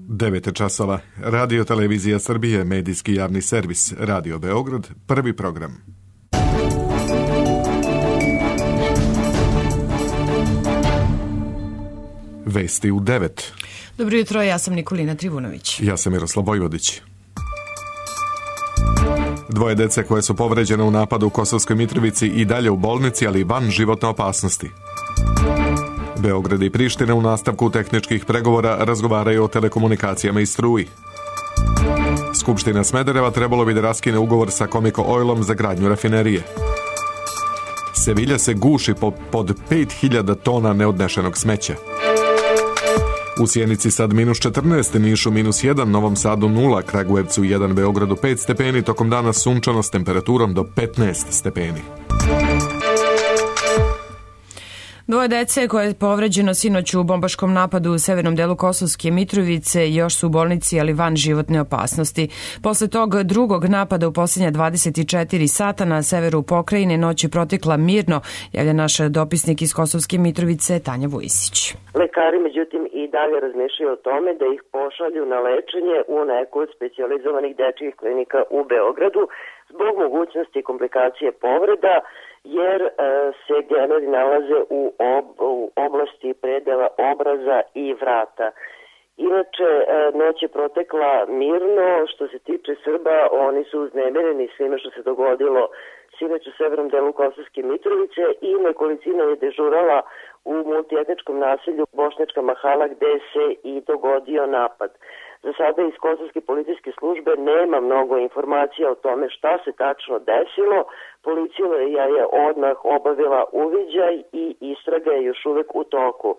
9 časova. Radio Televizija Srbije, medijski javni servis, Radio Beograd, prvi program. Vesti u 9. Dobro jutro, ja sam Nikolina Trivunović. Ja sam Miroslav Vojvodić. Dvoje dece koje su povređene u napadu u Kosovskoj Mitrovici i dalje u bolnici, ali van životne opasnosti. Beograd i Priština u nastavku tehničkih pregovora razgovaraju o telekomunikacijama i struji. Skupština Smedereva trebalo bi da raskine ugovor sa Comico Oilom za gradnju rafinerije. Sevilja se guši pod 5000 tona neodnešenog smeća. U Sjenici sad minus 14, Nišu minus 1, Novom Sadu 0, Kragujevcu 1, Beogradu 5 stepeni, tokom dana sunčano s temperaturom do 15 stepeni. Dvoje dece koje je povređeno sinoć u bombaškom napadu u severnom delu Kosovske Mitrovice još su u bolnici, ali van životne opasnosti. Posle tog drugog napada u posljednja 24 sata na severu pokrajine noć je protekla mirno, javlja naš dopisnik iz Kosovske Mitrovice Tanja Vujisić. Lekari međutim i dalje razmišljaju o tome da ih pošalju na lečenje u neku od specijalizovanih dečjih klinika u Beogradu zbog mogućnosti komplikacije povreda, jer se genovi nalaze u oblasti predela obraza i vrata. Inače, noć je protekla mirno. Što se tiče Srba, oni su uznemireni svime što se dogodilo sinoć u severnom delu Kosovske Mitrovice i nekolicina je dežurala u multietničkom naselju Bošnjačka Mahala gde se i dogodio napad. Za sada iz Kosovske policijske službe nema mnogo informacija o tome šta se tačno desilo. Policija je odmah obavila uviđaj i istraga je još uvek u toku.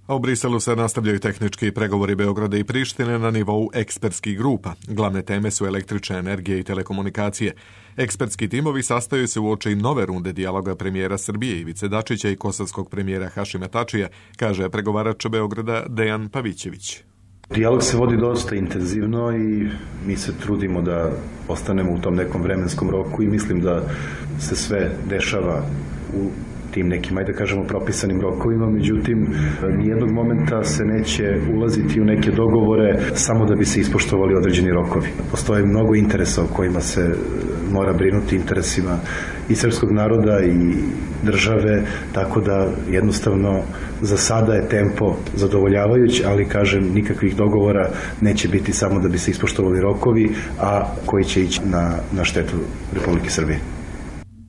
A u Briselu se nastavljaju tehnički pregovori Beograda i Prištine na nivou ekspertskih grupa. Glavne teme su električna energija i telekomunikacije. Ekspertski timovi sastaju se uoči nove runde dijaloga premijera Srbije Ivice Dačića i kosovskog premijera Hašima Tačija, kaže pregovarač Beograda Dejan Pavićević. Dijalog se vodi dosta intenzivno i mi se trudimo da ostanemo u tom nekom vremenskom roku i mislim da se sve dešava u tim nekim, ajde da kažemo, propisanim rokovima, međutim, nijednog momenta se neće ulaziti u neke dogovore samo da bi se ispoštovali određeni rokovi. Postoje mnogo interesa o kojima se mora brinuti, interesima i srpskog naroda i države, tako da jednostavno za sada je tempo zadovoljavajući, ali kažem, nikakvih dogovora neće biti samo da bi se ispoštovali rokovi, a koji će ići na štetu Republike Srbije.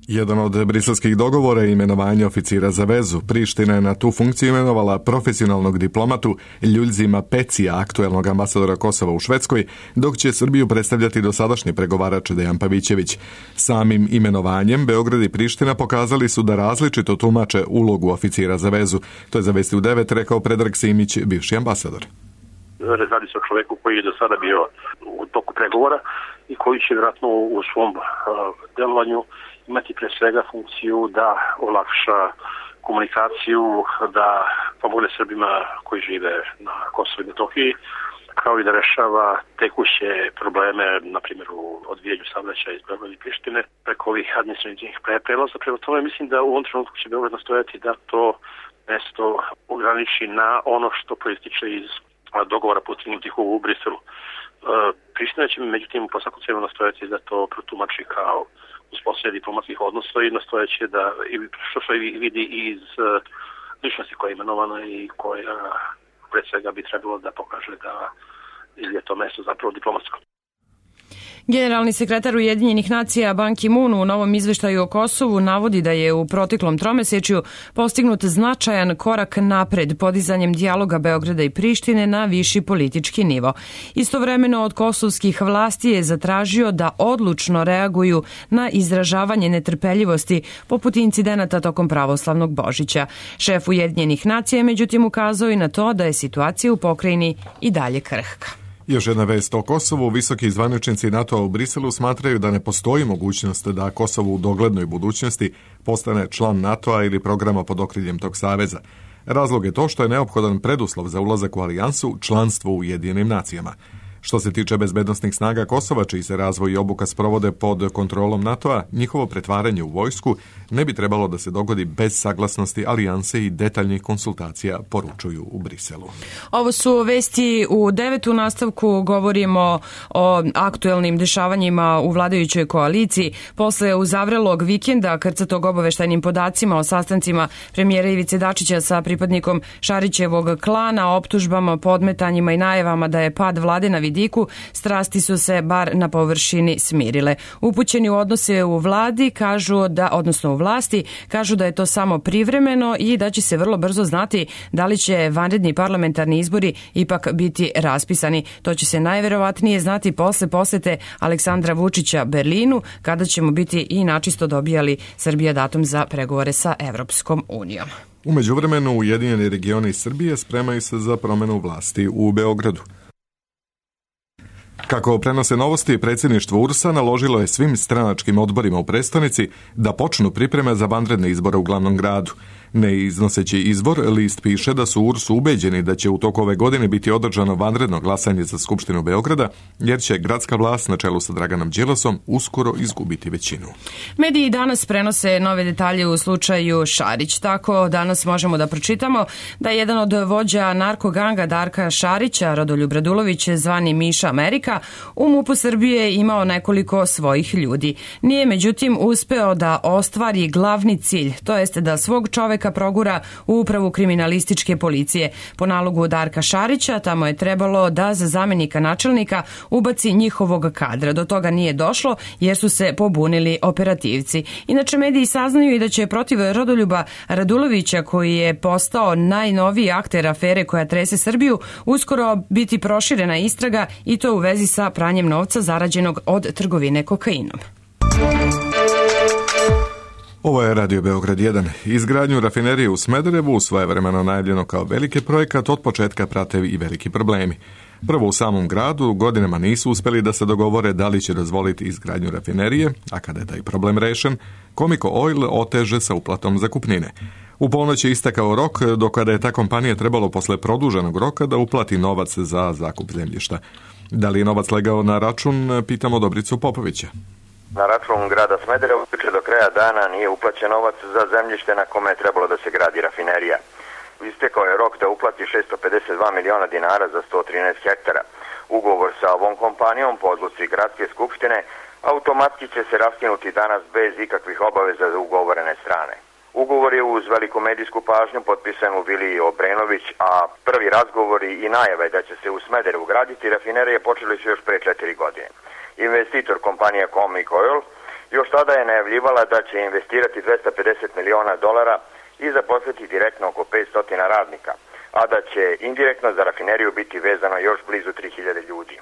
Jedan od briselskih dogovora je imenovanje oficira za vezu. Priština je na tu funkciju imenovala profesionalnog diplomatu Ljuljzima Pecija, aktuelnog ambasadora Kosova u Švedskoj, dok će Srbiju predstavljati dosadašnji pregovarač Dejan Pavićević. Samim imenovanjem Beograd i Priština pokazali su da različito tumače ulogu oficira za vezu. To je za Vesti u 9 rekao Predrag Simić, bivši ambasador. Radi se o čoveku koji je do sada bio u toku pregovora i koji će vjerojatno u svom delovanju imati pre svega funkciju da olakša komunikaciju, da pomogne Srbima koji žive na Kosovu i Metohiji, kao i da rešava tekuće probleme, na primjer u odvijanju saobraćaja iz Beograda i Prištine, preko ovih administrativnih prelaza. Prema tome mislim da u ovom trenutku će Beograd nastojati da to mesto ograniči na ono što proističe iz dogovora postignutih u Briselu. Priština će međutim po svaku cenu nastojati da to protumači kao uspostavljanje diplomatskih odnosa i nastojeće da, što se vidi iz ličnosti koja je imenovana i koja pred svega bi trebalo da pokaže da je to mesto zapravo diplomatsko. Generalni sekretar Ujedinjenih nacija Ban Ki-moon u novom izveštaju o Kosovu navodi da je u proteklom tromesečju postignut značajan korak napred podizanjem dijaloga Beograda i Prištine na viši politički nivo. Istovremeno od kosovskih vlasti je zatražio da odlučno reaguju na izražavanje netrpeljivosti poput incidenata tokom pravoslavnog Božića. Šef Ujedinjenih nacija je međutim ukazao i na to da je situacija u pokrajini i dalje krhka. Još jedna vest o Kosovu. Visoki zvaničnici NATO-a u Briselu smatraju da ne postoji mogućnost da Kosovo u doglednoj budućnosti postane član NATO-a ili programa pod okriljem tog saveza. Razlog je to što je neophodan preduslov za ulazak u alijansu, članstvo u Ujedinjenim nacijama. Što se tiče bezbednosnih snaga Kosova, čiji se razvoj i obuka sprovode pod kontrolom NATO-a, njihovo pretvaranje u vojsku ne bi trebalo da se dogodi bez saglasnosti alijanse i detaljnih konsultacija, poručuju u Briselu. Ovo su vesti u 9. nastavku. Govorimo o aktuelnim dešavanjima u vladajućoj koaliciji. Posle uzavrelog vikenda, krcatog obaveštajnim podacima o sastancima premijera Ivice Dačića sa pripadnikom Šarićevog klana, optužbama, podmetanjima i najavama da je pad vlade na vidiku, strasti su se bar na površini smirile. Upućeni u odnose u vladi u vlasti kažu da je to samo privremeno i da će se vrlo brzo znati da li će vanredni parlamentarni izbori ipak biti raspisani. To će se najverovatnije znati posle posete Aleksandra Vučića Berlinu, kada ćemo biti i načisto dobijali Srbija datum za pregovore sa Evropskom unijom. U međuvremenu Ujedinjeni regioni Srbije spremaju se za promenu vlasti u Beogradu. Kako prenose novosti, predsjedništvo URS-a naložilo je svim stranačkim odborima u prestonici da počnu pripreme za vanredne izbore u glavnom gradu. Ne iznoseći izbor, list piše da su URS ubeđeni da će u toku ove godine biti održano vanredno glasanje za Skupštinu Beograda, jer će gradska vlast na čelu sa Draganom Đilasom uskoro izgubiti većinu. Mediji danas prenose nove detalje u slučaju Šarić. Tako danas možemo da pročitamo da je jedan od vođa narkoganga Darka Šarića, Rodoljub Radulović, zvani Miša Amerika, u MUP-u Srbije imao nekoliko svojih ljudi. Nije međutim uspeo da ostvari glavni cilj, to jest da svog čoveka progura u upravu kriminalističke policije. Po nalogu Darka Šarića tamo je trebalo da za zamenika načelnika ubaci njihovog kadra. Do toga nije došlo jer su se pobunili operativci. Inače, mediji saznaju i da će protiv Rodoljuba Radulovića, koji je postao najnoviji akter afere koja trese Srbiju, uskoro biti proširena istraga, i to u vezi sa pranjem novca zarađenog od trgovine kokainom. Ovo je Radio Beograd 1. Izgradnju rafinerije u Smederevu, svojevremeno najavljeno kao veliki projekat, od početka prate i veliki problemi. Prvo, u samom gradu godinama nisu uspeli da se dogovore da li će dozvoliti izgradnju rafinerije, a kada je taj problem rešen, Comico Oil oteže sa uplatom zakupnine. U ponoć je istekao rok do kada je ta kompanija trebalo posle produženog roka da uplati novac za zakup zemljišta. Da li je novac legao na račun, pitamo Dobricu Popovića. Na račun grada Smederevo do kraja dana nije uplaćen novac za zemljište na kome je trebalo da se gradi rafinerija. Istekao je rok da uplati 652 miliona dinara za 113 hektara. Ugovor sa ovom kompanijom po odluci gradske skupštine automatski će se raskinuti danas bez ikakvih obaveza za ugovorene strane. Ugovor je uz veliku medijsku pažnju potpisan u Viliji Obrenović, a prvi razgovori i najave da će se u Smederevu graditi rafinerije počeli su još pre 4 godine. Investitor kompanija Comico Oil još tada je najavljivala da će investirati $250 miliona i zaposliti direktno oko 500 radnika, a da će indirektno za rafineriju biti vezano još blizu 3000 ljudi.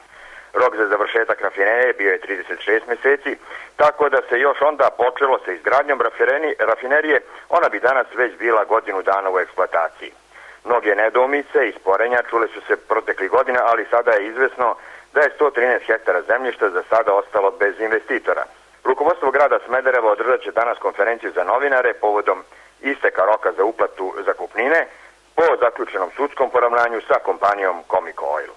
Rok za završetak rafinerije bio je 36 meseci, tako da se još onda počelo sa izgradnjom rafinerije, ona bi danas već bila godinu dana u eksploataciji. Mnoge nedoumice i sporenja čule su se proteklih godina, ali sada je izvesno da je 113 hektara zemljišta za sada ostalo bez investitora. Rukovodstvo grada Smedereva održat će danas konferenciju za novinare povodom isteka roka za uplatu zakupnine po zaključenom sudskom poravnanju sa kompanijom Comico Oil.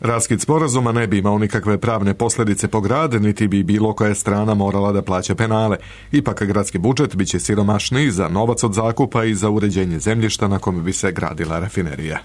Raskid sporazuma ne bi imao nikakve pravne posljedice po grad, niti bi bilo koja strana morala da plaća penale. Ipak gradski budžet biće siromašniji za novac od zakupa i za uređenje zemljišta na kome bi se gradila rafinerija.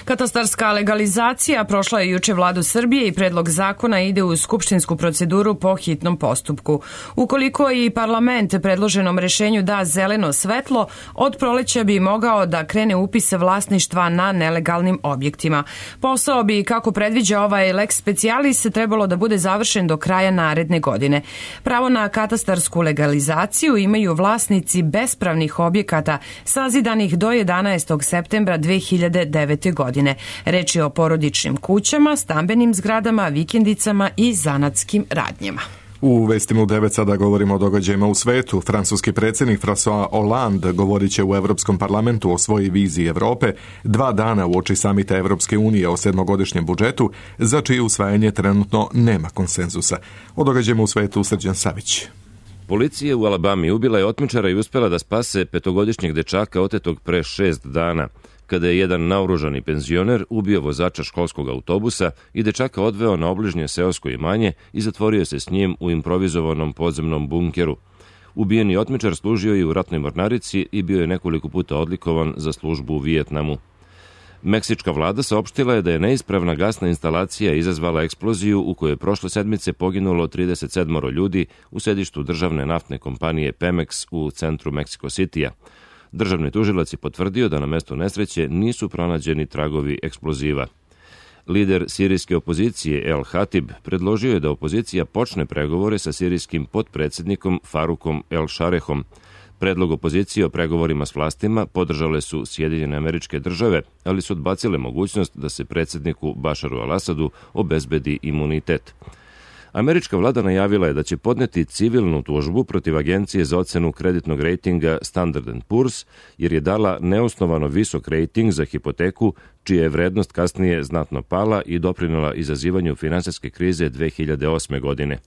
Katastarska legalizacija prošla je juče Vladu Srbije i predlog zakona ide u skupštinsku proceduru po hitnom postupku. Ukoliko i parlament predloženom rešenju da zeleno svetlo, od proleća bi mogao da krene upis vlasništva na nelegalnim objektima. Posao bi, kako predviđa ovaj lex specialis, trebalo da bude završen do kraja naredne godine. Pravo na katastarsku legalizaciju imaju vlasnici bespravnih objekata sazidanih do 11. septembra 2009. godine. Reč je o porodičnim kućama, stambenim zgradama, vikendicama i zanatskim radnjama. U vestima u 9 sada govorimo o događajima u svetu. Francuski predsjednik François Hollande govorit će u Evropskom parlamentu o svojoj viziji Evrope 2 dana uoči samita Evropske unije o 7-godišnjem budžetu, za čije usvajanje trenutno nema konsenzusa. O događajima u svetu Srđan Savić. Policija u Alabami ubila je otmičara i uspela da spase 5-godišnjeg dečaka otetog pre 6 dana. kada je jedan naoružani penzioner ubio vozača školskog autobusa i dečaka odveo na obližnje seosko imanje i zatvorio se s njim u improvizovanom podzemnom bunkeru. Ubijeni otmičar služio je u ratnoj mornarici i bio je nekoliko puta odlikovan za službu u Vijetnamu. Meksička vlada saopštila je da je neispravna gasna instalacija izazvala eksploziju u kojoj je prošle sedmice poginulo 37 ljudi u sedištu državne naftne kompanije Pemex u centru Meksiko Citya. Državni tužilac je potvrdio da na mestu nesreće nisu pronađeni tragovi eksploziva. Lider sirijske opozicije El Hatib predložio je da opozicija počne pregovore sa sirijskim potpredsjednikom Farukom El Šarehom. Predlog opozicije o pregovorima s vlastima podržale su Sjedinjene Američke Države, ali su odbacile mogućnost da se predsjedniku Bašaru al-Asadu obezbedi imunitet. Američka vlada najavila je da će podneti civilnu tužbu protiv Agencije za ocenu kreditnog rejtinga Standard & Poor's, jer je dala neosnovano visok rejting za hipoteku, čija je vrednost kasnije znatno pala i doprinela izazivanju finansijske krize 2008. godine.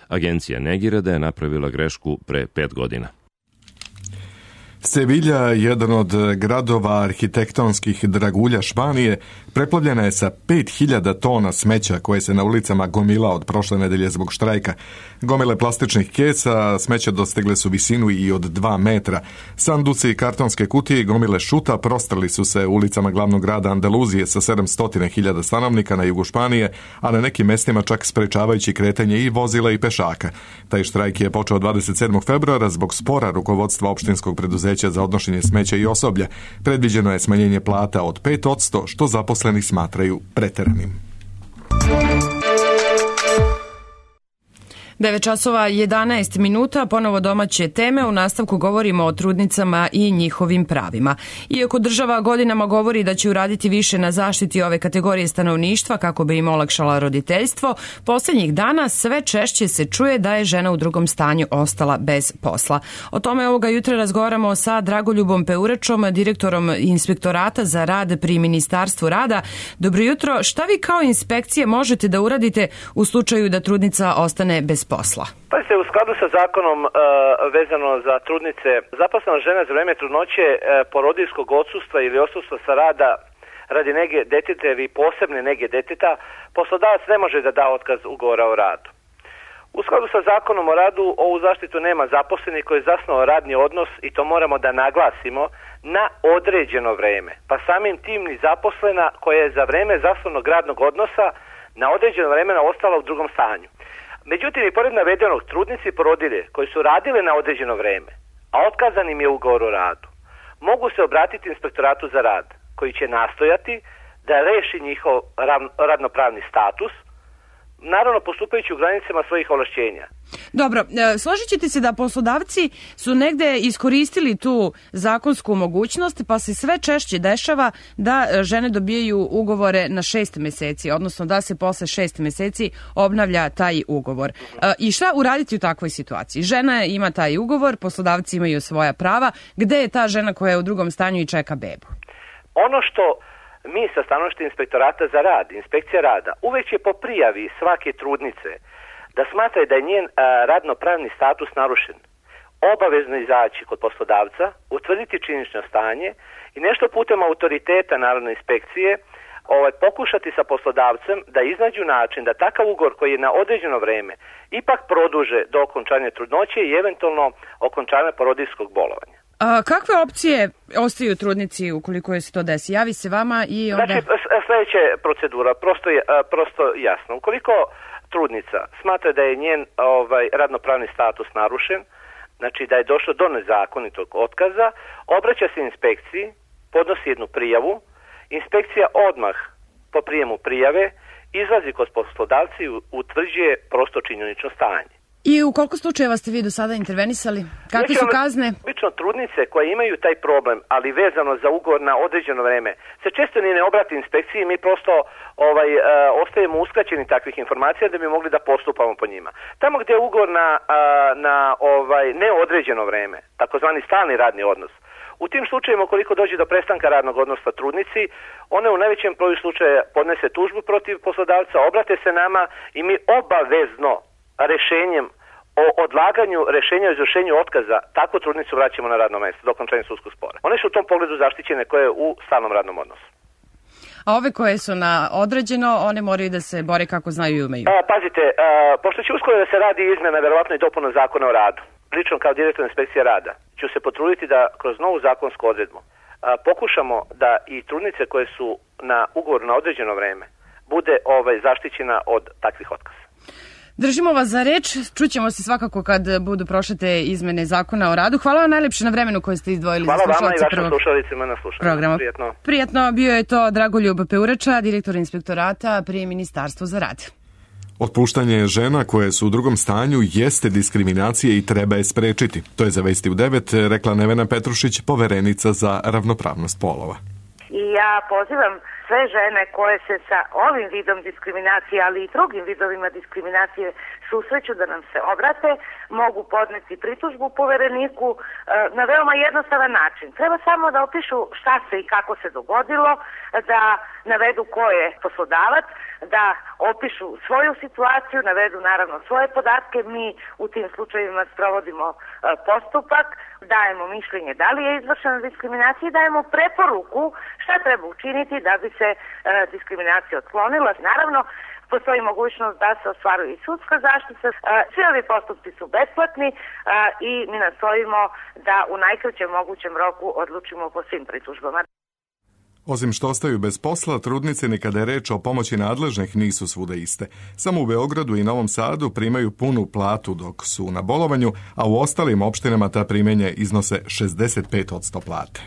Agencija negira da je napravila grešku pre 5 godina. Sevilja, jedan od gradova arhitektonskih dragulja Španije, preplavljena je sa 5000 tona smeća koje se na ulicama gomila od prošle nedelje zbog štrajka. Gomile plastičnih kesa smeća dostigle su visinu i od 2 metra. Sanduci i kartonske kutije i gomile šuta prostrli su se ulicama glavnog grada Andaluzije sa 700.000 stanovnika na jugu Španije, a na nekim mestima čak sprečavajući kretanje i vozila i pešaka. Taj štrajk je počeo 27. februara zbog spora rukovodstva opštinskog preduzeća za odnošenje smeća i osoblja. Predviđeno je smanjenje plata od 5%, što zaposleni smatraju preteranim. 9 časova 11 minuta, ponovo domaće teme. U nastavku govorimo o trudnicama i njihovim pravima. Iako država godinama govori da će uraditi više na zaštiti ove kategorije stanovništva kako bi im olakšala roditeljstvo, posljednjih dana sve češće se čuje da je žena u drugom stanju ostala bez posla. O tome ovoga jutra razgovaramo sa Dragoljubom Peurečom, direktorom Inspektorata za rad pri Ministarstvu rada. Dobro jutro, šta vi kao inspekcije možete da uradite u slučaju da trudnica ostane bez posla? Pa se u skladu sa zakonom vezano za trudnice, zaposlena žena za vreme trudnoće, porodiljskog odsustva ili odsustva sa rada radi nege deteta ili posebne nege deteta, poslodavac ne može da da otkaz ugovora o radu. U skladu sa zakonom o radu ovu zaštitu nema zaposleni koji je zasnovao radni odnos, i to moramo da naglasimo, na određeno vreme. Pa samim tim ni zaposlena koja je za vreme zasnovnog radnog odnosa na određeno vremena ostala u drugom stanju. Međutim, i pored navedenog, trudnici i porodilje koji su radile na određeno vreme, a otkazan im je ugovor o radu, mogu se obratiti Inspektoratu za rad, koji će nastojati da reši njihov radnopravni status, naravno postupajući u granicama svojih ovlašćenja. Dobro, složit ćete se da poslodavci su negde iskoristili tu zakonsku mogućnost, pa se sve češće dešava da žene dobijaju ugovore na 6 meseci, odnosno da se posle 6 meseci obnavlja taj ugovor. I šta uraditi u takvoj situaciji? Žena ima taj ugovor, poslodavci imaju svoja prava. Gde je ta žena koja je u drugom stanju i čeka bebu? Ono što mi sa stanovišta Inspektorata za rad, Inspekcija rada, uvek je po prijavi svake trudnice da smatra da je njen radnopravni status narušen, obavezno izaći kod poslodavca, utvrditi činjenično stanje i nešto putem autoriteta Narodne inspekcije pokušati sa poslodavcem da iznađu način da takav ugovor koji je na određeno vreme ipak produže do okončanja trudnoće i eventualno okončanja porodiljskog bolovanja. Kakve opcije ostaju trudnici ukoliko je se to desi? Javi se vama i onda... Znači, sljedeća procedura, prosto jasno. Ukoliko trudnica smatra da je njen radnopravni status narušen, znači da je došlo do nezakonitog otkaza, obraća se inspekciji, podnosi jednu prijavu, inspekcija odmah po prijemu prijave izlazi kod poslodavca i utvrđuje prosto činjenično stanje. I u koliko slučajeva ste vi do sada intervenisali? Kakve su kazne? Obično trudnice koje imaju taj problem, ali vezano za ugovor na određeno vreme, se često ni ne obrati inspekciji, mi prosto ostajemo uskraćeni takvih informacija da bi mogli da postupamo po njima. Tamo gdje je ugovor na neodređeno vreme, takozvani stalni radni odnos, u tim slučajevima ukoliko dođe do prestanka radnog odnosa trudnici, one u najvećem broju slučaja podnese tužbu protiv poslodavca, obrate se nama i mi obavezno rešenjem o odlaganju rešenja o izvršenju otkaza, takvu trudnicu vraćamo na radno mesto do okončanja sudskog spora. One su u tom pogledu zaštićene koje je u stalnom radnom odnosu. A ove koje su na određeno, one moraju da se bore kako znaju i umeju. Pazite, pošto će uskoro da se radi izmena, verovatno i dopuna zakona o radu, lično kao direktor inspekcije rada, ću se potruditi da kroz novu zakonsku odredbu pokušamo da i trudnice koje su na ugovoru na određeno vreme bude zaštićena od takvih otkaza. Držimo vas za reč, čućemo se svakako kad budu prošle te izmene zakona o radu. Hvala vam najlepše na vremenu koje ste izdvojili za slušalce. Hvala vama i vašim slušalicima na slušanju. Prijatno, bio je to Dragoljub Peurača, direktor inspektorata pri Ministarstvu za rad. Otpuštanje žena koje su u drugom stanju jeste diskriminacija i treba je sprečiti. To je za Vesti u 9 rekla Nevena Petrušić, poverenica za ravnopravnost polova. I ja pozivam sve žene koje se sa ovim vidom diskriminacije, ali i drugim vidovima diskriminacije susreću da nam se obrate, mogu podneti pritužbu povereniku na veoma jednostavan način. Treba samo da opišu šta se i kako se dogodilo, da navedu ko je poslodavac, da opišu svoju situaciju, navedu naravno svoje podatke. Mi u tim slučajevima sprovodimo postupak, dajemo mišljenje da li je izvršena diskriminacija i dajemo preporuku šta treba učiniti da bi se diskriminacija otklonila. Naravno, postoji mogućnost da se ostvaruje i sudska zaštita. Svi ovi postupci su besplatni i mi nastojimo da u najkraćem mogućem roku odlučimo po svim pritužbama. Osim što ostaju bez posla, trudnice nekada je reč o pomoći nadležnih nisu svuda iste. Samo u Beogradu i Novom Sadu primaju punu platu dok su na bolovanju, a u ostalim opštinama ta primanja iznose 65% plate.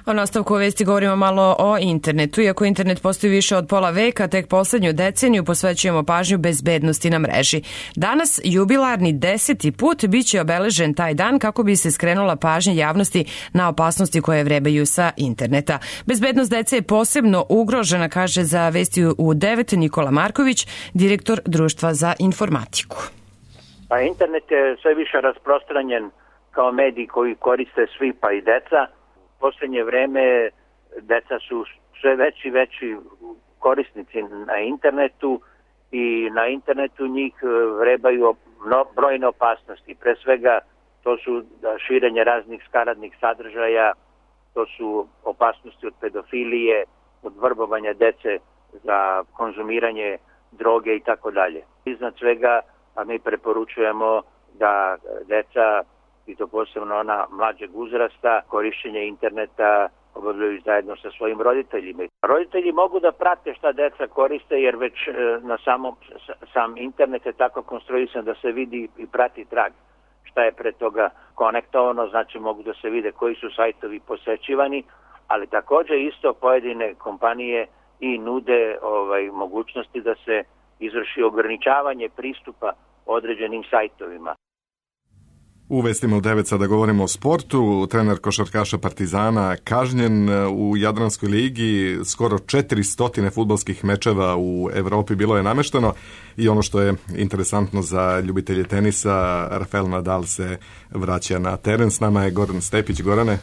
O nastavku vesti govorimo malo o internetu. Iako internet postoji više od pola veka, tek poslednju deceniju posvećujemo pažnju bezbednosti na mreži. Danas, jubilarni 10. put, biće obeležen taj dan kako bi se skrenula pažnja javnosti na opasnosti koje vrebaju sa interneta. Bezbednost dece je posebno ugrožena, kaže za Vesti u 9 Nikola Marković, direktor Društva za informatiku. Pa internet je sve više rasprostranjen kao medij koji koriste svi, pa i deca. U poslednje vreme deca su sve veći korisnici na internetu i na internetu njih vrebaju brojne opasnosti. Pre svega to su širenje raznih skaradnih sadržaja, to su opasnosti od pedofilije, od vrbovanja dece za konzumiranje droge i tako dalje. Iznad svega, a mi preporučujemo da deca, i to posebno ona mlađeg uzrasta, korišćenje interneta obavljaju zajedno sa svojim roditeljima. Roditelji mogu da prate šta deca koriste, jer već na sam internet je tako konstruisan da se vidi i prati trag šta je pre toga konektovano, znači mogu da se vide koji su sajtovi posećivani, ali takođe isto pojedine kompanije i nude mogućnosti da se izvrši ograničavanje pristupa određenim sajtovima. U Vestima u 9 sada govorimo o sportu. Trener košarkaša Partizana kažnjen u Jadranskoj ligi, skoro 400 fudbalskih mečeva u Evropi bilo je namešteno i ono što je interesantno za ljubitelje tenisa, Rafael Nadal se vraća na teren. S nama je Goran Stepić. Gorane?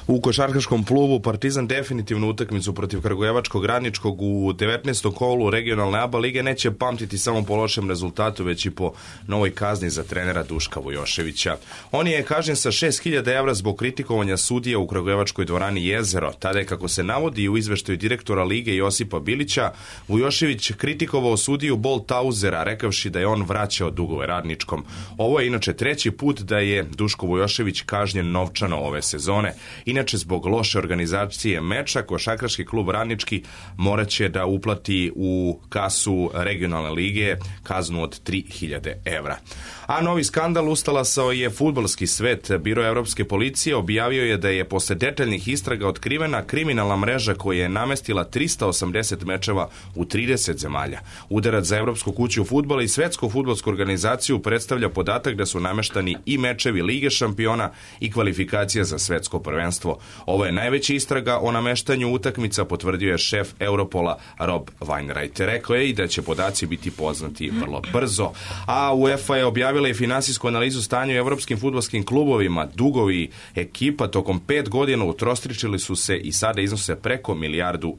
U košarkaškom klubu Partizan definitivnu utakmicu protiv Kragujevačkog Radničkog u 19. kolu regionalne ABA lige neće pamtiti samo po lošem rezultatu, već i po novoj kazni za trenera Duška Vujoševića. On je kažnjen sa 6.000 evra zbog kritikovanja sudija u Kragujevačkoj dvorani Jezero. Tada je, kako se navodi u izveštaju direktora lige Josipa Bilića, Vujošević kritikovao sudiju Boltauzera, rekavši da je on vraćao dugove Radničkom. Ovo je inače treći put da je Duško Vujošević kažnjen novčano ove sezone. Inače, zbog loše organizacije meča, košarkaški klub Radnički moraće da uplati u kasu regionalne lige kaznu od 3.000 evra. A novi skandal ustalasao je fudbalski svet. Biro Evropske policije objavio je da je posle detaljnih istraga otkrivena kriminalna mreža koja je namestila 380 mečeva u 30 zemalja. Udarac za Evropsku kuću fudbala i Svetsku fudbalsku organizaciju predstavlja podatak da su nameštani i mečevi Lige šampiona i kvalifikacija za svetsko prvenstvo prvenstvo. Ovo je najveća istraga o nameštanju utakmica, potvrdio je šef Europola Rob Wainwright. Rekao je i da će podaci biti poznati vrlo brzo. A UEFA je objavila i finansijsku analizu stanja u evropskim fudbalskim klubovima. Dugovi ekipa tokom 5 godina utrostričili su se i sada iznose preko 1,5 milijardu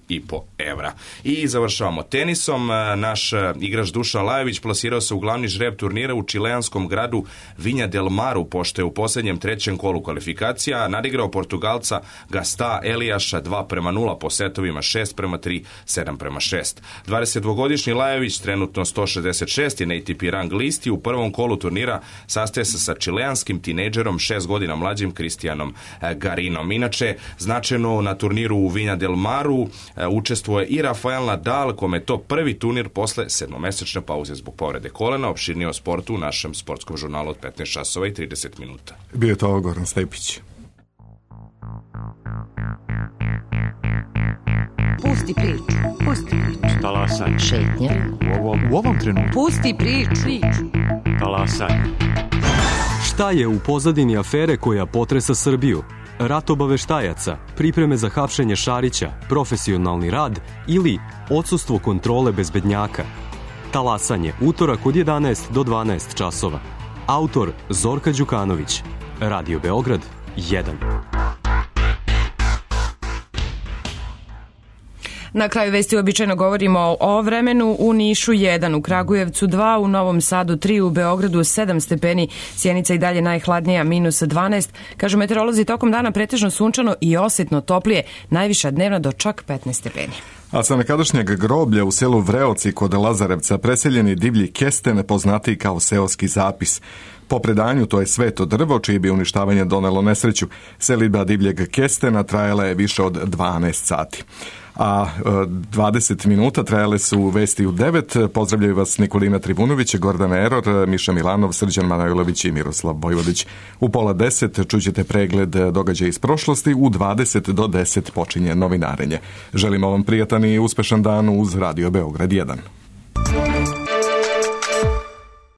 evra. I završavamo tenisom. Naš igrač Dušan Lajović plasirao se u glavni žreb turnira u čileanskom gradu Vinja del Maru, pošto je u posljednjem 3. kolu kvalifikacija nadigrao Portugalca Gasta Eliaša 2:0 po setovima 6:3, 7:6. 22-godišnji Lajović, trenutno 166 je na ATP rang listi, u prvom kolu turnira sastaje se sa čileanskim tinejdžerom 6 godina mlađim Cristianom Garinom. Inače, značajno na turniru u Vinja del Maru učestvuje i Rafael Nadal, kome je to prvi turnir posle 7-mesečne pauze zbog povrede kolena. Opširnije o sportu u našem sportskom žurnalu od 15 časova i 30 minuta. Bio je to Goran Stepić. Pusti priču. Pusti priču. Talasaj. Šetnja. U ovom trenutku. Pusti priču. Talasaj. Šta je u pozadini afere koja potresa Srbiju? Rat obaveštajaca, pripreme za hapšenje Šarića, profesionalni rad ili odsustvo kontrole bezbednjaka? Talasanje, utorak od 11 do 12 časova. Autor Zorka Đukanović. Radio Beograd 1. Na kraju vesti običajno govorimo o vremenu. U Nišu 1, u Kragujevcu 2, u Novom Sadu 3, u Beogradu 7 stepeni, Sjenica i dalje najhladnija -12. Kažu meteorolozi, tokom dana pretežno sunčano i osjetno toplije, najviša dnevna do čak 15 stepeni. A sa nekadašnjeg groblja u selu Vreoci kod Lazarevca preseljeni divlji kesten, poznatiji kao seoski zapis. Po predanju to je sveto drvo čije bi uništavanje donelo nesreću. Selidba divljeg kestena trajala je više od 12 sati. A 20 minuta trajale su vesti u 9. Pozdravljaju vas Nikolina Trivunović, Gordana Eror, Miša Milanov, Srđan Manojlović i Miroslav Bojvodić. U 9:30 čućete pregled događaja iz prošlosti, u 20 do 10 počinje novinarenje. Želimo vam prijatan i uspešan dan uz Radio Beograd 1.